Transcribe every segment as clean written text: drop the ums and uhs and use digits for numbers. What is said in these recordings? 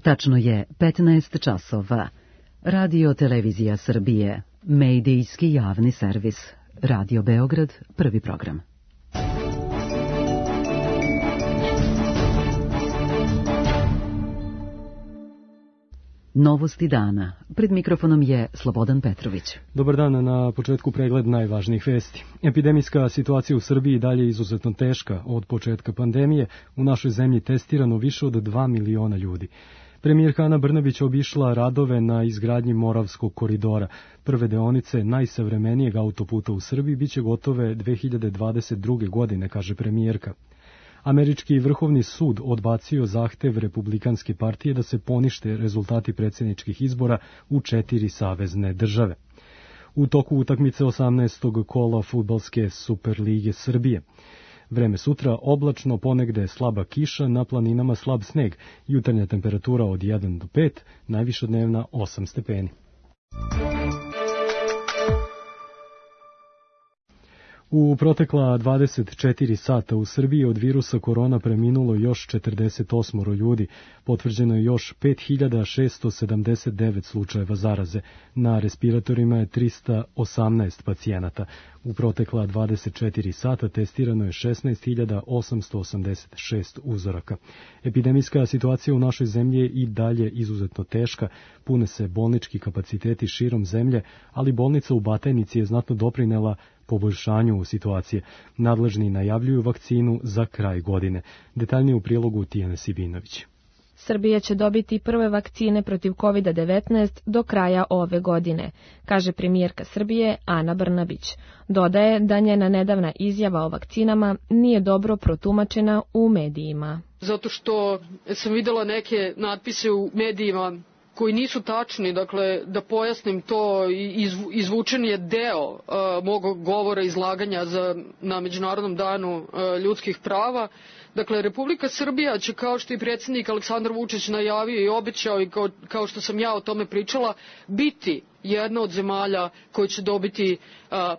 Tačno je 15 časova. Radio Televizija Srbije, medijski javni servis. Radio Beograd, prvi program. Novosti dana. Pred mikrofonom je Slobodan Petrović. Dobar dan, na početku pregled najvažnijih vesti. Epidemijska situacija u Srbiji dalje je izuzetno teška. Od početka pandemije u našoj zemlji testirano više od 2 miliona ljudi. Premijerka Ana Brnabić obišla radove na izgradnji Moravskog koridora. Prve deonice najsavremenijeg autoputa u Srbiji biće gotove 2022. godine, kaže premijerka. Američki vrhovni sud odbacio zahtev Republikanske partije da se ponište rezultati predsjedničkih izbora u 4 savezne države. U toku utakmice 18. kola fudbalske Superlige Srbije. Vreme sutra oblačno, ponegde slaba kiša, na planinama slab sneg, jutarnja temperatura od 1 do 5, najviša dnevna 8 stepeni. U protekla 24 sata u Srbiji od virusa korona preminulo još 48 ljudi, potvrđeno je još 5679 slučajeva zaraze, na respiratorima je 318 pacijenata. U protekla 24 sata testirano je 16.886 uzoraka. Epidemijska situacija u našoj zemlji je i dalje izuzetno teška, pune se bolnički kapaciteti širom zemlje, ali bolnica u Batajnici je znatno doprinela poboljšanju situacije. Nadležni najavljuju vakcinu za kraj godine. Detaljnije u Tijane Sibinović. Srbija će dobiti prve vakcine protiv COVID-19 do kraja ove godine, kaže premijerka Srbije Ana Brnabić. Dodaje da njena nedavna izjava o vakcinama nije dobro protumačena u medijima. Zato što sam videla neke natpise u medijima koji nisu tačni, dakle, da pojasnim to, izvučen je deo mog govora izlaganja na Međunarodnom danu ljudskih prava. Dakle, Republika Srbija će, kao što i predsjednik Aleksandar Vučić najavio i obećao i kao što sam ja o tome pričala, biti jedna od zemalja koja će dobiti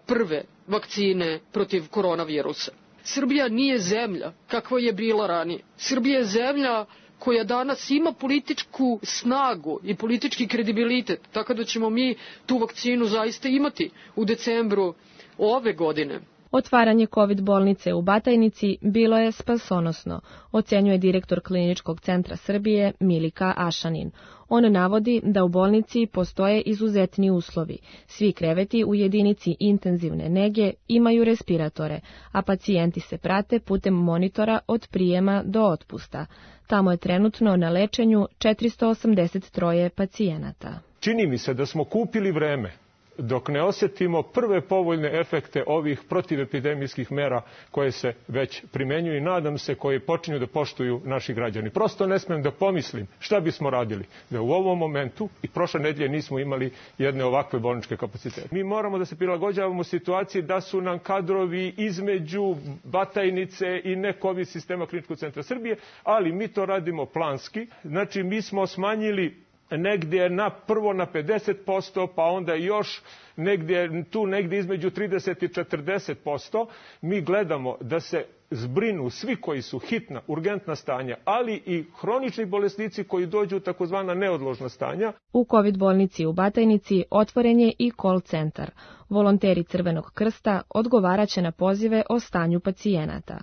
prve vakcine protiv koronavirusa. Srbija nije zemlja kakva je bila ranije. Srbija je zemlja koja danas ima političku snagu i politički kredibilitet, tako da ćemo mi tu vakcinu zaista imati u decembru ove godine. Otvaranje COVID bolnice u Batajnici bilo je spasonosno, ocenjuje direktor Kliničkog centra Srbije Milika Ašanin. On navodi da u bolnici postoje izuzetni uslovi. Svi kreveti u jedinici intenzivne nege imaju respiratore, a pacijenti se prate putem monitora od prijema do otpusta. Tamo je trenutno na lečenju 483 pacijenata. Čini mi se da smo kupili vreme dok ne osjetimo prve povoljne efekte ovih protivepidemijskih mera koje se već primenjuju i nadam se koje počinju da poštuju naši građani. Prosto ne smem da pomislim šta bismo radili da u ovom momentu i prošle nedelje nismo imali jedne ovakve bolničke kapacitete. Mi moramo da se prilagođavamo situaciji da su nam kadrovi između Batajnice i ne-COVID sistema Kliničkog centra Srbije, ali mi to radimo planski. Znači mi smo smanjili negdje prvo na 50%, pa onda još negdje između 30 i 40%. Mi gledamo da se zbrinu svi koji su hitna, urgentna stanja, ali i hronični bolesnici koji dođu u takozvana neodložna stanja. U COVID bolnici u Batajnici otvoren je i call centar. Volonteri Crvenog krsta odgovaraće na pozive o stanju pacijenata.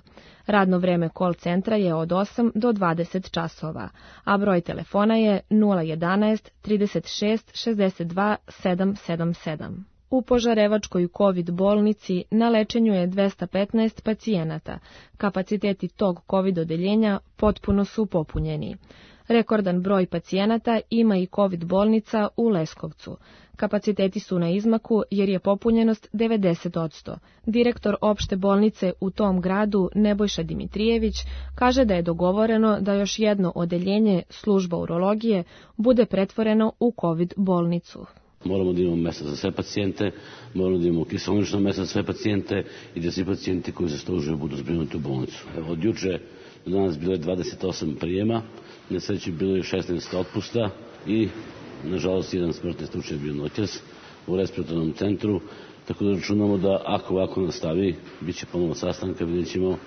Radno vreme call centra je od 8 do 20 časova, a broj telefona je 011 36 62 777. U Požarevačkoj COVID bolnici na lečenju je 215 pacijenata. Kapaciteti tog COVID odeljenja potpuno su popunjeni. Rekordan broj pacijenata ima i COVID bolnica u Leskovcu. Kapaciteti su na izmaku jer je popunjenost 90%. Direktor opšte bolnice u tom gradu Nebojša Dimitrijević kaže da je dogovoreno da još jedno odeljenje, služba urologije, bude pretvoreno u COVID bolnicu. Moramo da imamo mesta za sve pacijente, moramo da imamo kiseonično mesta za sve pacijente i da svi pacijenti koji zaslužuju budu zbrinuti u bolnicu. Od juče do danas bilo je 28 prijema, na sreći bilo je 16 otpusta i nažalost jedan smrtni slučaj bio noćas u respiratornom centru, tako da računamo da ako ovako nastavi, bit će ponovo sastanka, vidjet ćemo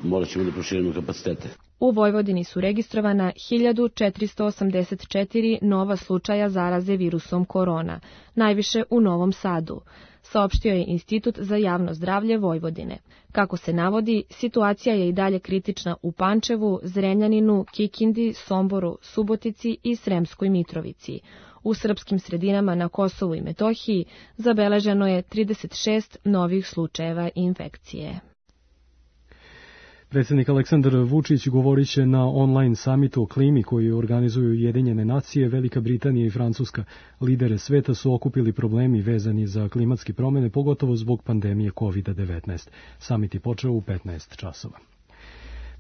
morat ćemo da proširimo kapacitete. U Vojvodini su registrovana 1484 nova slučaja zaraze virusom korona, najviše u Novom Sadu, saopštio je Institut za javno zdravlje Vojvodine. Kako se navodi, situacija je i dalje kritična u Pančevu, Zrenjaninu, Kikindi, Somboru, Subotici i Sremskoj Mitrovici. U srpskim sredinama na Kosovu i Metohiji zabeleženo je 36 novih slučajeva infekcije. Predsjednik Aleksandar Vučić govorit će na online samitu o klimi koji organizuju Ujedinjene nacije, Velika Britanija i Francuska. Lidere sveta su okupili problemi vezani za klimatske promjene, pogotovo zbog pandemije COVID-19. Samit je počeo u 15 časova.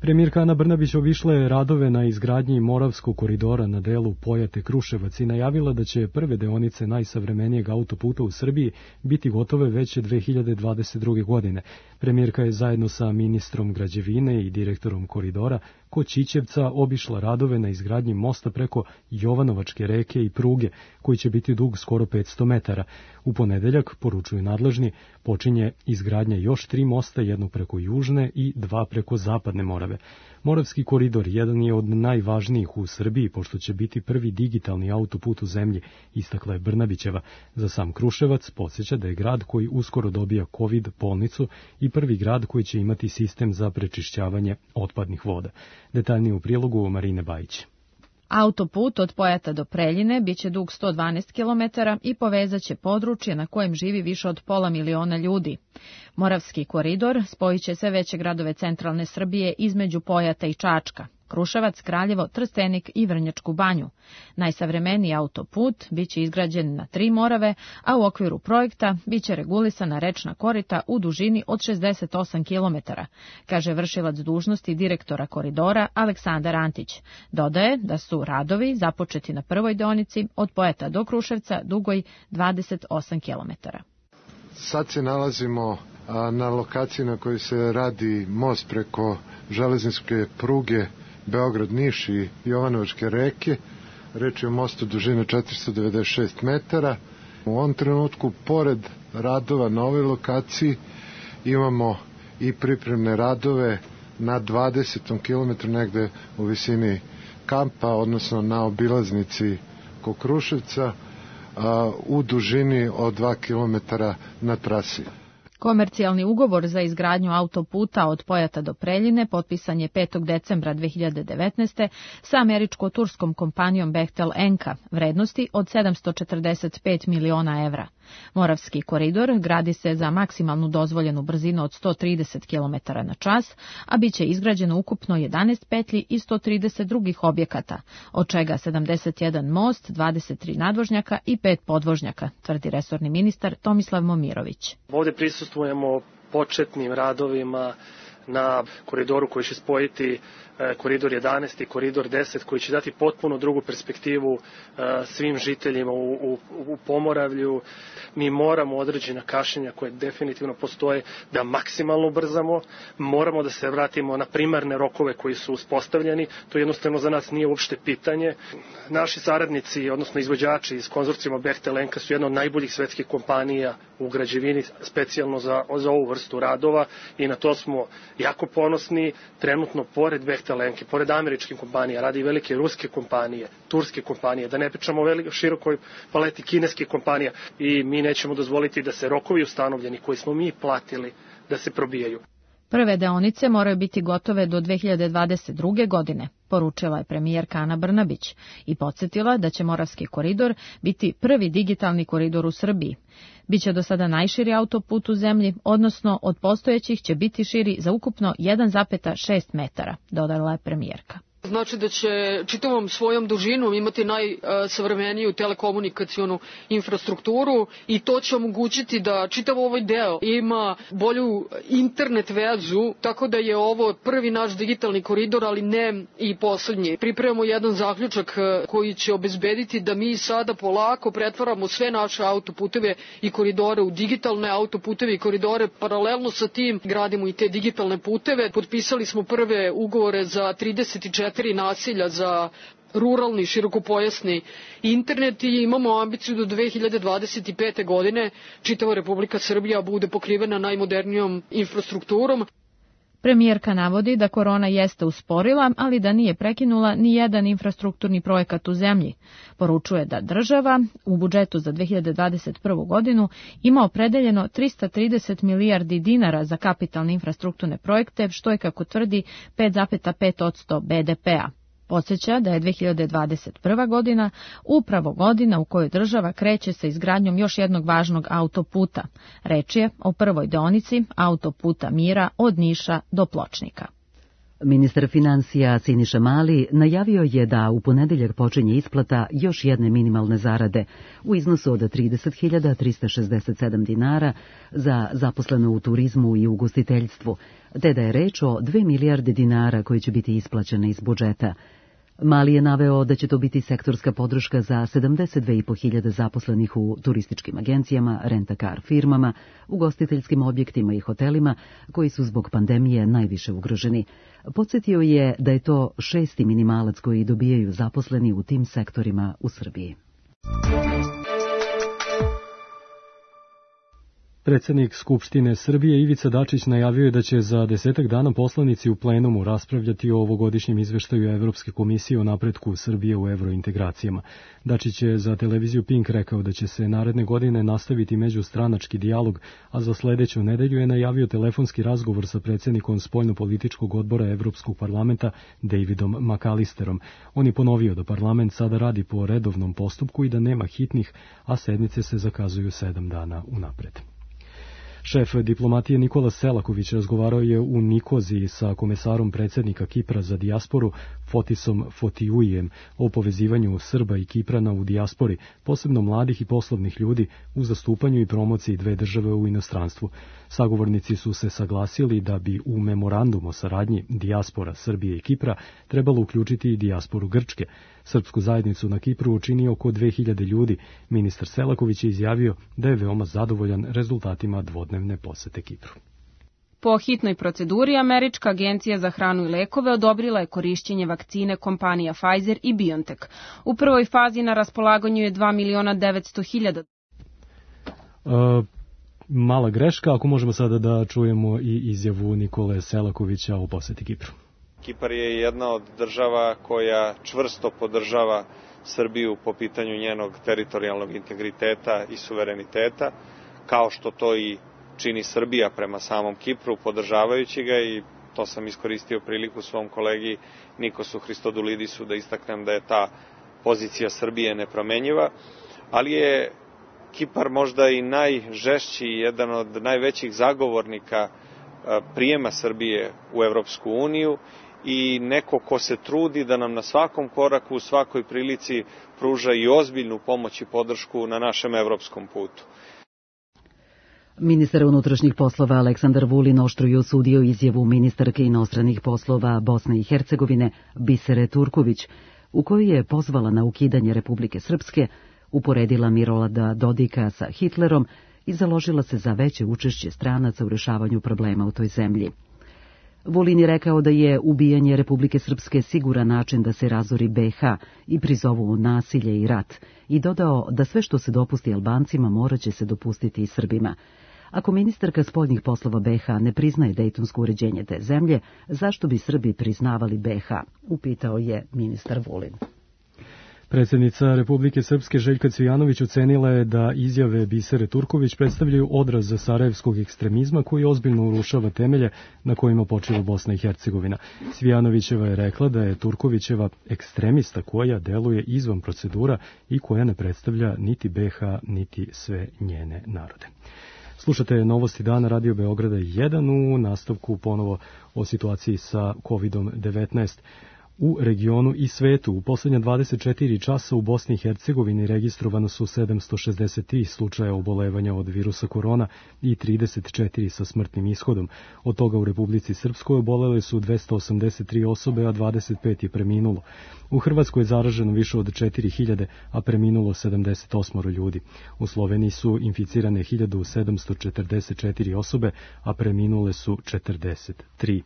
Premijerka Ana Brnabić obišla je radove na izgradnji Moravskog koridora na delu Pojate-Kruševac i najavila da će prve deonice najsavremenijeg autoputa u Srbiji biti gotove već 2022. godine. Premijerka je zajedno sa ministrom građevine i direktorom koridora kod Čičevca obišla radove na izgradnji mosta preko Jovanovačke reke i pruge, koji će biti dug skoro 500 metara. U ponedeljak, poručuju nadležni, počinje izgradnja još 3 mosta, jedno preko Južne i 2 preko Zapadne Morave. Moravski koridor jedan je od najvažnijih u Srbiji, pošto će biti prvi digitalni autoput u zemlji, istakla je Brnabićeva. Za sam Kruševac podsjeća da je grad koji uskoro dobija COVID bolnicu i prvi grad koji će imati sistem za prečišćavanje otpadnih voda. Detaljnije u prilogu Marine Bajić. Autoput od Pojata do Preljine biće dug 112 km i povezaće područje na kojem živi više od 500.000 ljudi. Moravski koridor spojit će sve veće gradove centralne Srbije između Pojata i Čačka, Kruševac, Kraljevo, Trstenik i Vrnjačku Banju. Najsavremeniji autoput biće izgrađen na 3 morave, a u okviru projekta biće regulisana rečna korita u dužini od 68 km, kaže vršilac dužnosti direktora koridora Aleksandar Antić. Dodaje da su radovi započeti na prvoj deonici od Pojata do Kruševca dugoj 28 km. Sad se nalazimo na lokaciji na kojoj se radi most preko železničke pruge Beograd-Niš i Jovanovačke reke. Reč je o mostu dužine 496 metara. U ovom trenutku, pored radova na ovoj lokaciji, imamo i pripremne radove na 20. kilometru negde u visini kampa, odnosno na obilaznici kod Kruševca, u dužini od 2 km na trasi. Komercijalni ugovor za izgradnju autoputa od Pojata do Preljine potpisan je 5. decembra 2019. sa američko-turskom kompanijom Bechtel Enka, vrednosti od 745 miliona evra. Moravski koridor gradi se za maksimalnu dozvoljenu brzinu od 130 km na čas, a bit će izgrađeno ukupno 11 petlji i 130 drugih objekata, od čega 71 most, 23 nadvožnjaka i 5 podvožnjaka, tvrdi resorni ministar Tomislav Momirović. Ovdje prisustvujemo početnim radovima na koridoru koji će spojiti koridor 11 i koridor 10, koji će dati potpuno drugu perspektivu svim žiteljima u Pomoravlju. Mi moramo određena kašnjenja koje definitivno postoje da maksimalno ubrzamo, moramo da se vratimo na primarne rokove koji su uspostavljeni, to jednostavno za nas nije uopšte pitanje. Naši saradnici, odnosno izvođači iz konzorcijuma Bechtel Enka su jedna od najboljih svetskih kompanija u građevini, specijalno za ovu vrstu radova i na to smo jako ponosni. Trenutno, pored Bechtel Enke, pored američkih kompanija, radi i velike ruske kompanije, turske kompanije, da ne pričamo o širokoj paleti kineskih kompanija, i mi nećemo dozvoliti da se rokovi ustanovljeni koji smo mi platili da se probijaju. Prve deonice moraju biti gotove do 2022. godine, poručila je premijerka Ana Brnabić i podsjetila da će Moravski koridor biti prvi digitalni koridor u Srbiji. Biće do sada najširi autoput u zemlji, odnosno od postojećih će biti širi za ukupno 1,6 metara, dodala je premijerka. Znači da će čitavom svojom dužinom imati najsavremeniju telekomunikacionu infrastrukturu i to će omogućiti da čitav ovaj deo ima bolju internet vezu, tako da je ovo prvi naš digitalni koridor, ali ne i poslednji. Pripremamo jedan zaključak koji će obezbediti da mi sada polako pretvaramo sve naše autoputeve i koridore u digitalne autoputeve i koridore. Paralelno sa tim gradimo i te digitalne puteve. Potpisali smo prve ugovore za 34 naselja za ruralni širokopojasni internet i imamo ambiciju do 2025. godine čitava Republika Srbija bude pokrivena najmodernijom infrastrukturom. Premijerka navodi da korona jeste usporila, ali da nije prekinula ni jedan infrastrukturni projekat u zemlji. Poručuje da država u budžetu za 2021. godinu ima opredeljeno 330 milijardi dinara za kapitalne infrastrukturne projekte, što je, kako tvrdi, 5,5% BDP-a. Podsjeća da je 2021. godina upravo godina u kojoj država kreće sa izgradnjom još jednog važnog autoputa. Reč je o prvoj deonici autoputa Mira od Niša do Pločnika. Ministar financija Siniša Mali najavio je da u ponedeljak počinje isplata još jedne minimalne zarade u iznosu od 30.367 dinara za zaposlene u turizmu i ugostiteljstvu, te da je reč o 2 milijarde dinara koje će biti isplaćene iz budžeta. Mali je naveo da će to biti sektorska podrška za 72.500 zaposlenih u turističkim agencijama, rent-a-car firmama, ugostiteljskim objektima i hotelima koji su zbog pandemije najviše ugroženi. Podsjetio je da je to 6. minimalac koji dobijaju zaposleni u tim sektorima u Srbiji. Predsjednik Skupštine Srbije Ivica Dačić najavio je da će za 10 dana poslanici u plenumu raspravljati o ovogodišnjem izveštaju Evropske komisije o napretku Srbije u evrointegracijama. Dačić je za televiziju Pink rekao da će se naredne godine nastaviti međustranački dijalog, a za sledeću nedelju je najavio telefonski razgovor sa predsjednikom spoljnopolitičkog odbora Evropskog parlamenta Davidom McAllisterom. On je ponovio da parlament sada radi po redovnom postupku i da nema hitnih, a sednice se zakazuju 7 dana unapred. Šef diplomatije Nikola Selaković razgovarao je u Nikoziji sa komesarom predsjednika Kipra za dijasporu Fotisom Fotiuijem o povezivanju Srba i Kiprana u dijaspori, posebno mladih i poslovnih ljudi, u zastupanju i promociji dve države u inostranstvu. Sagovornici su se saglasili da bi u memorandum o saradnji dijaspora Srbije i Kipra trebalo uključiti i dijasporu Grčke. Srpsku zajednicu na Kipru učini oko 2000 ljudi. Ministar Selaković je izjavio da je veoma zadovoljan rezultatima dvodnevne posete Kipru. Po hitnoj proceduri, Američka agencija za hranu i lekove odobrila je korišćenje vakcine kompanija Pfizer i BioNTech. U prvoj fazi na raspolaganju je 2.900.000. Mala greška, ako možemo sada da čujemo i izjavu Nikole Selakovića o poseti Kipru. Kipar je jedna od država koja čvrsto podržava Srbiju po pitanju njenog teritorijalnog integriteta i suvereniteta, kao što to i čini Srbija prema samom Kipru, podržavajući ga, i to sam iskoristio priliku svom kolegi Nikosu Hristodulidisu da istaknem da je ta pozicija Srbije nepromenjiva, ali je Kipar možda i najžešći, jedan od najvećih zagovornika prijema Srbije u Evropsku uniju i neko ko se trudi da nam na svakom koraku, u svakoj prilici pruža i ozbiljnu pomoć i podršku na našem evropskom putu. Ministar unutrašnjih poslova Aleksandar Vulin oštro je osudio izjavu ministarke inostranih poslova Bosne i Hercegovine Bisere Turković, u kojoj je pozvala na ukidanje Republike Srpske, uporedila Milorada Dodika sa Hitlerom i založila se za veće učešće stranaca u rešavanju problema u toj zemlji. Vulin je rekao da je ubijanje Republike Srpske siguran način da se razori BiH i prizovu nasilje i rat, i dodao da sve što se dopusti Albancima moraće se dopustiti i Srbima. Ako ministarka spoljnih poslova BiH ne priznaje dejtonsko uređenje te zemlje, zašto bi Srbi priznavali BiH? Upitao je ministar Vulin. Predsjednica Republike Srpske Željka Cvijanović ocenila je da izjave Bisere Turković predstavljaju odraz sarajevskog ekstremizma koji ozbiljno urušava temelje na kojima počiva Bosna i Hercegovina. Cvijanovićeva je rekla da je Turkovićeva ekstremista koja deluje izvan procedura i koja ne predstavlja niti BiH niti sve njene narode. Slušate Novosti dana Radio Beograda 1, u nastavku ponovo o situaciji sa COVID-19. U regionu i svetu u posljednja 24 časa u Bosni i Hercegovini registrovano su 763 slučaja obolevanja od virusa korona i 34 sa smrtnim ishodom. Od toga u Republici Srpskoj obolele su 283 osobe, a 25 je preminulo. U Hrvatskoj je zaraženo više od 4000, a preminulo 78 ljudi. U Sloveniji su inficirane 1744 osobe, a preminule su 43.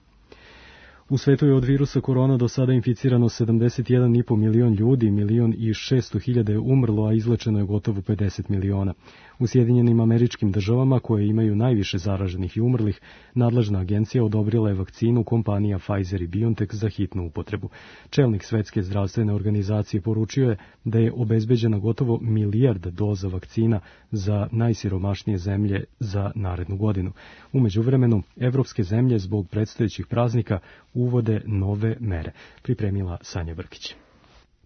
U svetu je od virusa korona do sada inficirano 71,5 milion ljudi, 1.600.000 je umrlo, a izlečeno je gotovo 50 miliona. U Sjedinjenim Američkim Državama, koje imaju najviše zaraženih i umrlih, nadležna agencija odobrila je vakcinu kompanija Pfizer i BioNTech za hitnu upotrebu. Čelnik Svetske zdravstvene organizacije poručio je da je obezbeđena gotovo 1 milijarda doza vakcina za najsiromašnije zemlje za narednu godinu. U međuvremenu, evropske zemlje zbog predstojećih praznika uvode nove mere, pripremila Sanja Brkić.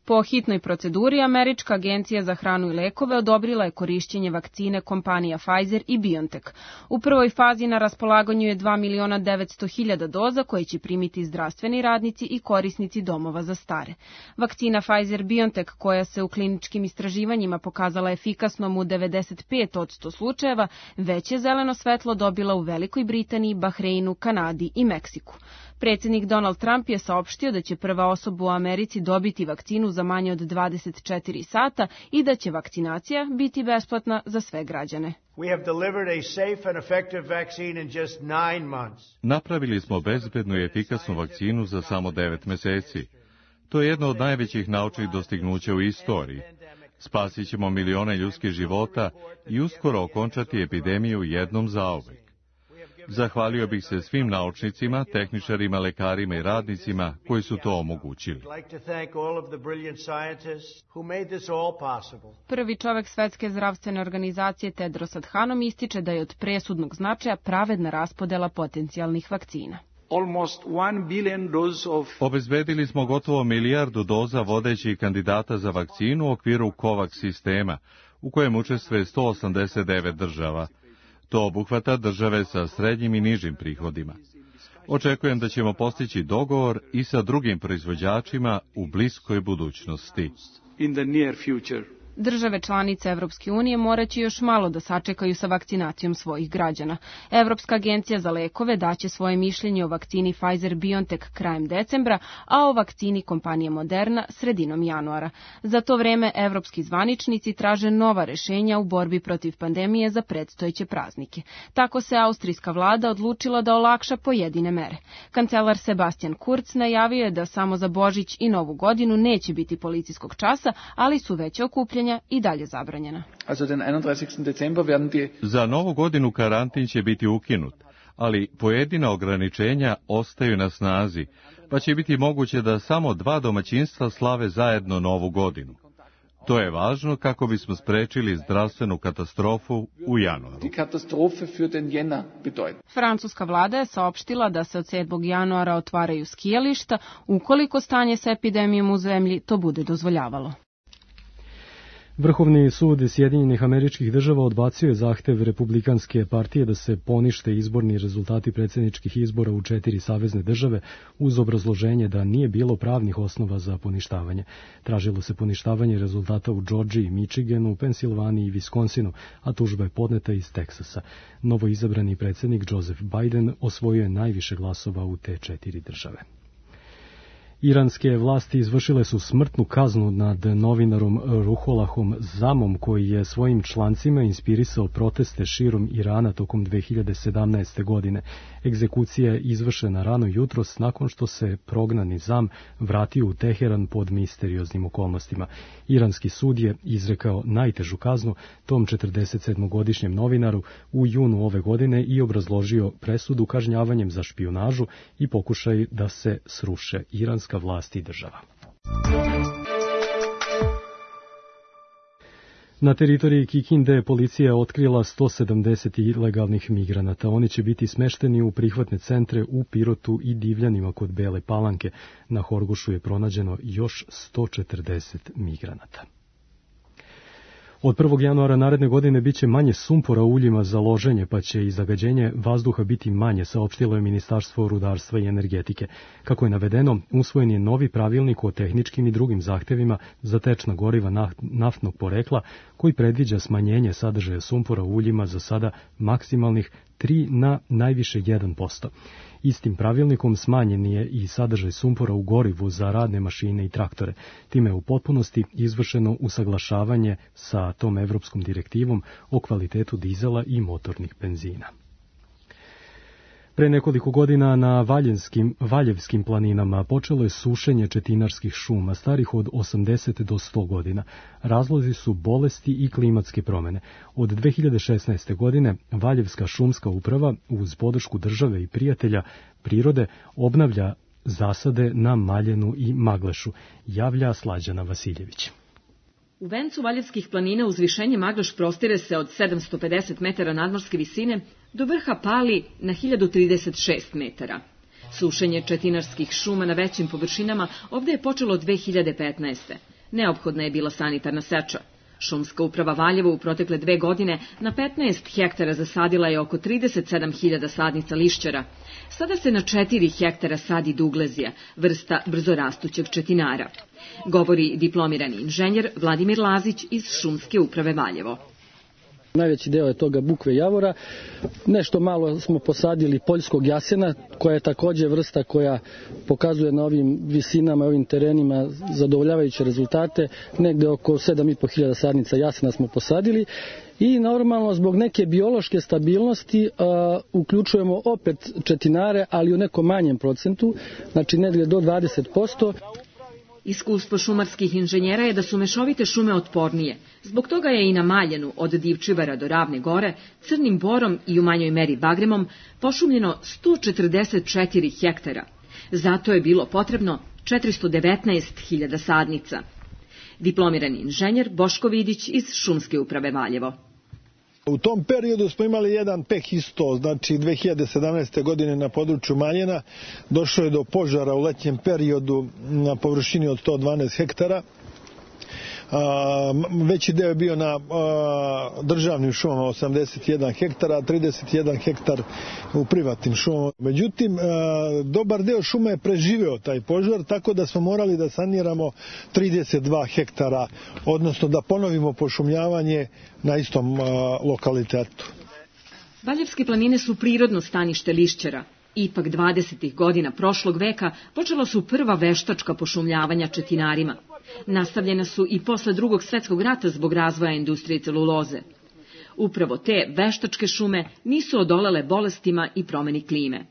Po hitnoj proceduri, Američka agencija za hranu i lekove odobrila je korišćenje vakcine kompanija Pfizer i BioNTech. U prvoj fazi na raspolaganju je 2.900.000 doza koje će primiti zdravstveni radnici i korisnici domova za stare. Vakcina Pfizer-BioNTech, koja se u kliničkim istraživanjima pokazala efikasnom u 95% slučajeva, već je zeleno svetlo dobila u Velikoj Britaniji, Bahreinu, Kanadi i Meksiku. Predsjednik Donald Trump je saopštio da će prva osoba u Americi dobiti vakcinu za manje od 24 sata i da će vakcinacija biti besplatna za sve građane. Napravili smo bezbednu i efikasnu vakcinu za samo 9 meseci. To je jedno od najvećih naučnih dostignuća u istoriji. Spasit ćemo milione ljudskih života i uskoro okončati epidemiju jednom zauvek. Zahvalio bih se svim naučnicima, tehničarima, lekarima i radnicima koji su to omogućili. Prvi čovek Svetske zdravstvene organizacije Tedros Adhanom ističe da je od presudnog značaja pravedna raspodela potencijalnih vakcina. Obezbedili smo gotovo 1 milijardu doza vodećih kandidata za vakcinu u okviru COVAX sistema, u kojem učestvuje 189 država. To obuhvata države sa srednjim i nižim prihodima. Očekujem da ćemo postići dogovor i sa drugim proizvođačima u bliskoj budućnosti. Države članice Evropske unije moraće još malo da sačekaju sa vakcinacijom svojih građana. Evropska agencija za lekove daće svoje mišljenje o vakcini Pfizer-BioNTech krajem decembra, a o vakcini kompanije Moderna sredinom januara. Za to vreme evropski zvaničnici traže nova rešenja u borbi protiv pandemije za predstojeće praznike. Tako se austrijska vlada odlučila da olakša pojedine mere. Kancelar Sebastian Kurz najavio je da samo za Božić i Novu godinu neće biti policijskog časa, ali su veće okupljanja i dalje zabranjena. Za Novu godinu karantin će biti ukinut, ali pojedina ograničenja ostaju na snazi, pa će biti moguće da samo 2 domaćinstva slave zajedno Novu godinu. To je važno kako bismo sprečili zdravstvenu katastrofu u januaru. Francuska vlada je saopštila da se od 7. januara otvaraju skijališta, ukoliko stanje sa epidemijom u zemlji to bude dozvoljavalo. Vrhovni sud Sjedinjenih Američkih Država odbacio je zahtev Republikanske partije da se ponište izborni rezultati predsjedničkih izbora u 4 savezne države uz obrazloženje da nije bilo pravnih osnova za poništavanje. Tražilo se poništavanje rezultata u Džordžiji, Michiganu, Pensilvaniji i Viskonsinu, a tužba je podneta iz Teksasa. Novo izabrani predsjednik Joseph Biden osvojio je najviše glasova u te 4 države. Iranske vlasti izvršile su smrtnu kaznu nad novinarom Ruholahom Zamom, koji je svojim člancima inspirisao proteste širom Irana tokom 2017. godine. Egzekucija je izvršena rano jutros nakon što se prognani Zam vratio u Teheran pod misterioznim okolnostima. Iranski sud je izrekao najtežu kaznu tom 47-godišnjem novinaru u junu ove godine i obrazložio presudu kažnjavanjem za špijunažu i pokušaj da se sruše iranska vlast i država. Na teritoriji Kikinde policija otkrila 170 ilegalnih migranata. Oni će biti smešteni u prihvatne centre u Pirotu i Divljanima kod Bele Palanke. Na Horgošu je pronađeno još 140 migranata. Od 1. januara naredne godine biće manje sumpora u uljima za loženje, pa će i zagađenje vazduha biti manje, saopštilo je Ministarstvo rudarstva i energetike. Kako je navedeno, usvojen je novi pravilnik o tehničkim i drugim zahtevima za tečna goriva naftnog porekla, koji predviđa smanjenje sadržaja sumpora u uljima za sada maksimalnih 3 na najviše 1%. Istim pravilnikom smanjen je i sadržaj sumpora u gorivu za radne mašine i traktore. Time je u potpunosti izvršeno usaglašavanje sa tom evropskom direktivom o kvalitetu dizela i motornih benzina. Pre nekoliko godina na Valjevskim planinama počelo je sušenje četinarskih šuma starih od 80 do 100 godina. Razlozi su bolesti i klimatske promene. Od 2016. godine Valjevska šumska uprava uz podršku države i prijatelja prirode obnavlja zasade na Maljenu i Maglešu, javlja Slađana Vasiljević. U vencu Valjevskih planina uzvišenje Magleš prostire se od 750 metara nadmorske visine do vrha Pali na 1036 metara. Sušenje četinarskih šuma na većim površinama ovde je počelo 2015. Neophodna je bila sanitarna seča. Šumska uprava Valjevo u protekle 2 godine na 15 hektara zasadila je oko 37.000 sadnica lišćara. Sada se na 4 hektara sadi duglezija, vrsta brzorastućeg četinara. Govori diplomirani inženjer Vladimir Lazić iz Šumske uprave Valjevo. Najveći deo je toga bukve javora. Nešto malo smo posadili poljskog jasena, koja je takođe vrsta koja pokazuje na ovim visinama, ovim terenima zadovoljavajuće rezultate. Negde oko 7.500 sadnica jasena smo posadili. I normalno zbog neke biološke stabilnosti uključujemo opet četinare, ali u nekom manjem procentu, znači negde do 20%. Iskustvo šumarskih inženjera je da su mešovite šume otpornije. Zbog toga je i na Maljenu, od Divčivara do Ravne gore, crnim borom i u manjoj meri bagremom, pošumljeno 144 hektara. Zato je bilo potrebno 419.000 sadnica. Diplomirani inženjer Boško Vidić iz Šumske uprave Valjevo. U tom periodu smo imali jedan peh isto, znači 2017. godine na području Maljena došlo je do požara u letnjem periodu na površini od 112 hektara. Veći deo je bio na državnim šumama 81 hektara, a 31 hektar u privatnim šumama. Međutim, dobar deo šuma je preživeo taj požar, tako da smo morali da saniramo 32 hektara, odnosno da ponovimo pošumljavanje na istom lokalitetu. Valjevske planine su prirodno stanište lišćara. Ipak 20. godina prošlog veka počela su prva veštačka pošumljavanja četinarima. Nastavljena su i posle Drugog svjetskog rata zbog razvoja industrije celuloze. Upravo te veštačke šume nisu odolele bolestima i promeni klime.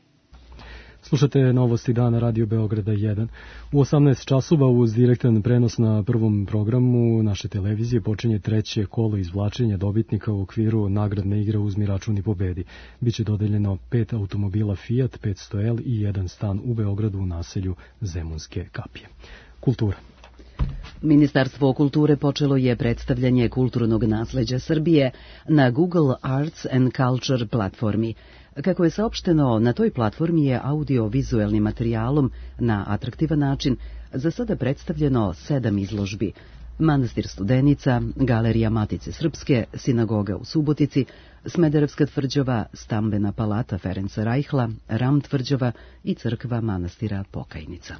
Slušate novosti dana Radio Beograda 1. U 18 časova uz direktan prenos na prvom programu naše televizije počinje 3. kolo izvlačenja dobitnika u okviru nagradne igre Uzmi račun i pobedi. Biće dodeljeno 5 automobila Fiat 500L i 1 stan u Beogradu u naselju Zemunske kapije. Kultura. Ministarstvo kulture počelo je predstavljanje kulturnog nasleđa Srbije na Google Arts and Culture platformi. Kako je saopšteno, na toj platformi je audio-vizuelnim materijalom na atraktivan način za sada predstavljeno 7 izložbi. Manastir Studenica, Galerija Matice Srpske, Sinagoga u Subotici, Smederevska tvrđava, Stambena palata Ferenca Rajhla, Ram tvrđava i crkva manastira Pokajnica.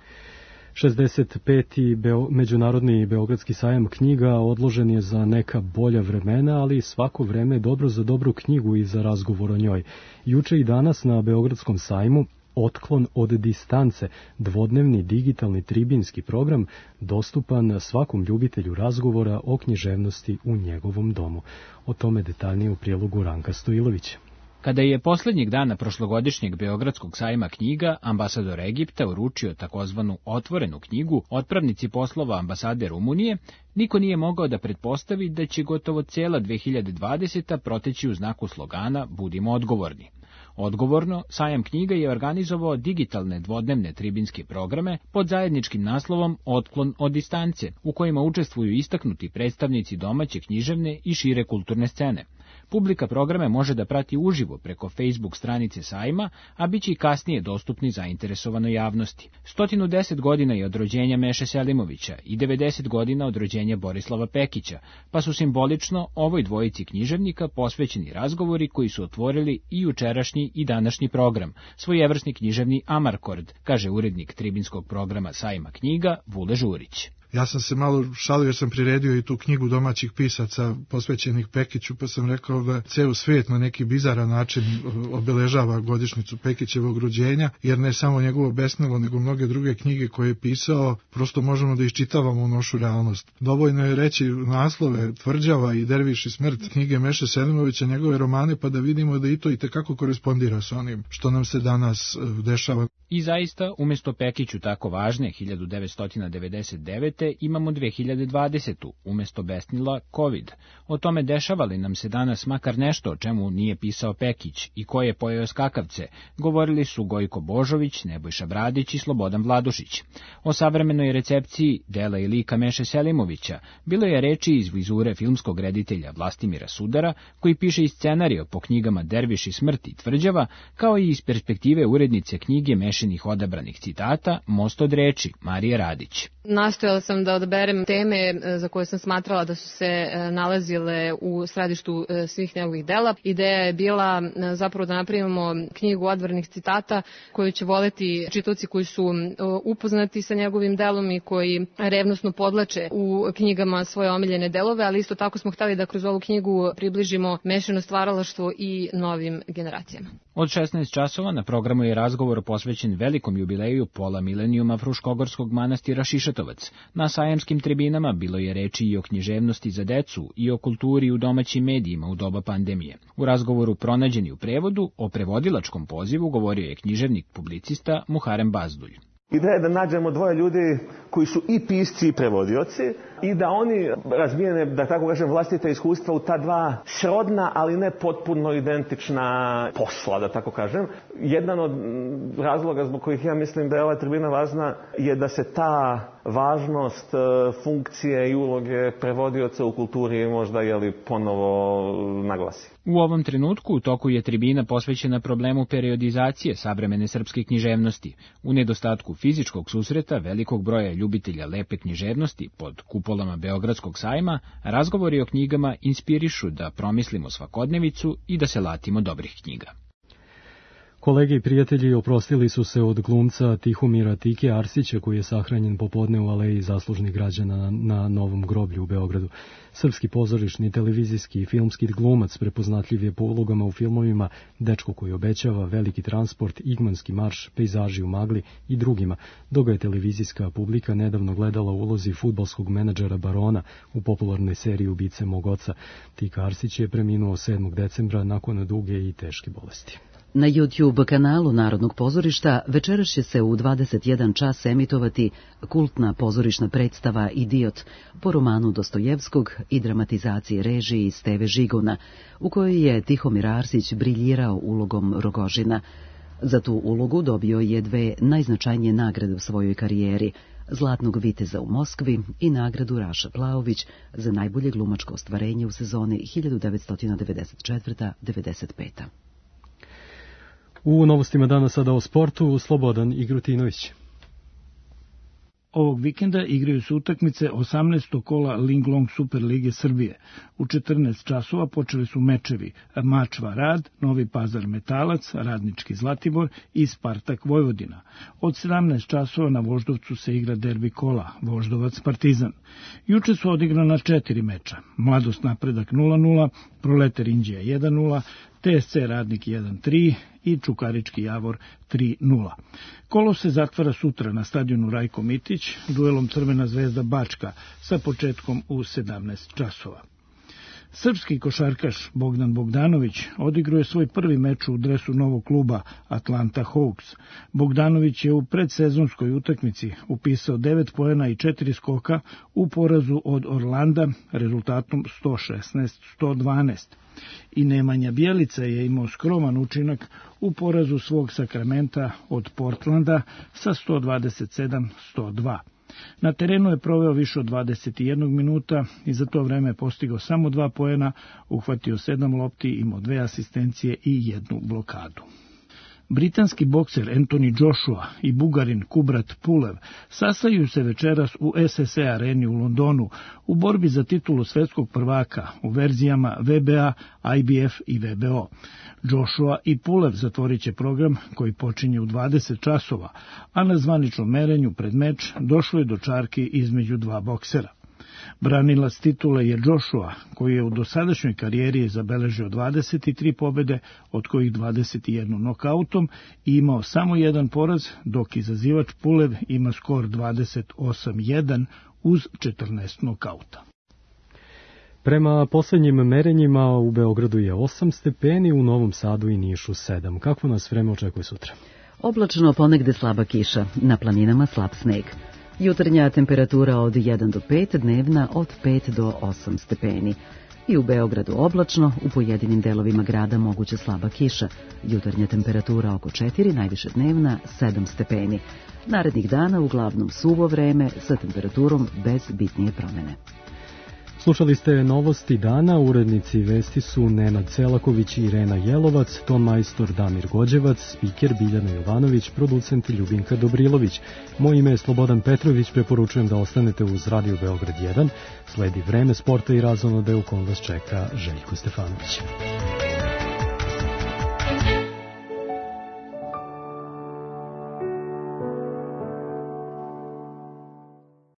65. Međunarodni Beogradski sajam knjiga odložen je za neka bolja vremena, ali svako vreme je dobro za dobru knjigu i za razgovor o njoj. Juče i danas na Beogradskom sajmu Otklon od distance, dvodnevni digitalni tribinski program, dostupan svakom ljubitelju razgovora o književnosti u njegovom domu. O tome detaljnije u prilogu Ranka Stojilovića. Kada je poslednjeg dana prošlogodišnjeg Beogradskog sajma knjiga ambasador Egipta uručio takozvanu otvorenu knjigu otpravnici poslova ambasade Rumunije, niko nije mogao da pretpostavi da će gotovo cijela 2020. proteći u znaku slogana Budimo odgovorni. Odgovorno, sajam knjiga je organizovao digitalne dvodnevne tribinske programe pod zajedničkim naslovom Otklon od distance, u kojima učestvuju istaknuti predstavnici domaće književne i šire kulturne scene. Publika programe može da prati uživo preko Facebook stranice sajma, a bit će i kasnije dostupni zainteresovanoj javnosti. 110 godina je od rođenja Meše Selimovića i 90 godina od rođenja Borislava Pekića, pa su simbolično ovoj dvojici književnika posvećeni razgovori koji su otvorili i jučerašnji i današnji program, svojevrsni književni amarkord, kaže urednik tribinskog programa sajma knjiga Vule Žurić. Ja sam se malo šalio jer sam priredio i tu knjigu domaćih pisaca posvećenih Pekiću, pa sam rekao da ceo svijet na neki bizaran način obeležava godišnjicu Pekićevog rođenja, jer ne samo njegovo besnilo, nego mnoge druge knjige koje je pisao, prosto možemo da iščitavamo u našu realnost. Dovoljno je reći naslove Tvrđava i Derviš i smrt knjige Meše Selimovića, njegove romane, pa da vidimo da i to itekako korespondira sa onim što nam se danas dešava. I zaista, umjesto Pekiću tako važne 1999. imamo 2020. umjesto besnila COVID. O tome dešava li nam se danas makar nešto o čemu nije pisao Pekić i ko je pojeo skakavce, govorili su Gojko Božović, Nebojša Bradić i Slobodan Vladušić. O savremenoj recepciji dela i lika Meše Selimovića bilo je reči iz vizure filmskog reditelja Vlastimira Sudara, koji piše i scenarijo po knjigama Derviš i smrt i Tvrđava, kao i iz perspektive urednice knjige Mešinih odabranih citata Most od reči Marije Radić. Nastojala sam da odaberem teme za koje sam smatrala da su se nalazile u središtu svih njegovih dela. Ideja je bila zapravo da napravimo knjigu odbranih citata koju će voleti čitaoci koji su upoznati sa njegovim delom i koji revnosno podlače u knjigama svoje omiljene delove, ali isto tako smo hteli da kroz ovu knjigu približimo mešano stvaralaštvo i novim generacijama. Od 16 časova na programu je razgovor posvećen velikom jubileju pola milenijuma Fruškogorskog manastira Šišatovac. Na sajamskim tribinama bilo je reči i o književnosti za decu i o kulturi u domaćim medijima u doba pandemije. U razgovoru pronađeni u prevodu o prevodilačkom pozivu govorio je književnik publicista Muharem Bazdulj. Ideja je da nađemo dvoje ljudi koji su i pisci i prevodioci i da oni razvijene, da tako kažem, vlastita iskustva u ta dva srodna, ali ne potpuno identična posla, da tako kažem. Jedan od razloga zbog kojih ja mislim da je ova tribina važna je da se ta važnost funkcije i uloge prevodioca u kulturi možda ponovo naglasi. U ovom trenutku u toku je tribina posvećena problemu periodizacije savremene srpske književnosti. U nedostatku fizičkog susreta velikog broja ljubitelja lepe književnosti pod kupolama Beogradskog sajma, razgovori o knjigama inspirišu da promislimo svakodnevicu i da se latimo dobrih knjiga. Kolege i prijatelji oprostili su se od glumca Tihomira Tike Arsića, koji je sahranjen popodne u aleji zaslužnih građana na Novom groblju u Beogradu. Srpski pozorišni, televizijski i filmski glumac prepoznatljiv je po ulogama u filmovima Dečko koji obećava, Veliki transport, Igmanski marš, Pejzaži u magli i drugima, dok ga je televizijska publika nedavno gledala u ulozi fudbalskog menadžera Barona u popularnoj seriji Ubice mog oca. Tika Arsić je preminuo 7. decembra nakon duge i teške bolesti. Na YouTube kanalu Narodnog pozorišta večeras će se u 21 čas emitovati kultna pozorišna predstava Idiot po romanu Dostojevskog i dramatizaciji režiji Steve Žiguna, u kojoj je Tihomir Arsić briljirao ulogom Rogožina. Za tu ulogu dobio je 2 najznačajnije nagrade u svojoj karijeri, Zlatnog viteza u Moskvi i nagradu Raša Plaović za najbolje glumačko ostvarenje u sezoni 1994-95. U novostima dana sada o sportu, Slobodan Igrutinović. Ovog vikenda igraju se utakmice 18. kola Linglong Super Lige Srbije. U 14 časova počeli su mečevi Mačva Rad, Novi Pazar Metalac, Radnički Zlatibor i Spartak Vojvodina. Od 17 časova na Voždovcu se igra derbi kola Voždovac Partizan. Juče su odigrana 4 meča. Mladost Napredak 0-0, Proletar Inđija 1-0, TSC Radnik 1-3 i Čukarički Javor 3-0. Kolo se zatvara sutra na stadionu Rajko Mitić duelom Crvena zvezda Bačka sa početkom u 17 časova. Srpski košarkaš Bogdan Bogdanović odigruje svoj prvi meč u dresu novog kluba Atlanta Hawks. Bogdanović je u predsezonskoj utakmici upisao 9 poena i 4 skoka u porazu od Orlanda rezultatom 116-112. I Nemanja Bjelica je imao skroman učinak u porazu svog Sakramenta od Portlanda sa 127-102. Na terenu je proveo više od 21 minuta i za to vreme postigao samo 2 poena, uhvatio 7 lopti, imao 2 asistencije i 1 blokadu. Britanski bokser Anthony Joshua i Bugarin Kubrat Pulev sastaju se večeras u SSE areni u Londonu u borbi za titulu svetskog prvaka u verzijama WBA, IBF i WBO. Joshua i Pulev zatvorit će program koji počinje u 20 časova, a na zvaničnom merenju pred meč došlo je do čarki između dva boksera. Branilac titule je Joshua, koji je u dosadašnjoj karijeri zabeležio 23 pobede, od kojih 21 nokautom i imao samo jedan poraz, dok izazivač Pulev ima skor 28-1 uz 14 nokauta. Prema poslednjim merenjima u Beogradu je 8 stepeni, u Novom Sadu i Nišu 7. Kako nas vreme očekuje sutra? Oblačno, ponegde slaba kiša, na planinama slab sneg. Jutarnja temperatura od 1 do 5, dnevna od 5 do 8 stepeni. I u Beogradu oblačno, u pojedinim delovima grada moguće slaba kiša. Jutarnja temperatura oko 4, najviše dnevna 7 stepeni. Narednih dana uglavnom suvo vreme sa temperaturom bez bitnije promene. Slušali ste novosti dana, urednici vesti su Nenad Celaković i Irena Jelovac, ton majstor Damir Gođevac, spiker Biljana Jovanović, producent Ljubinka Dobrilović. Moje ime je Slobodan Petrović, preporučujem da ostanete uz Radio Beograd 1. Sledi vreme sporta i razonode u kom vas čeka Željko Stefanović.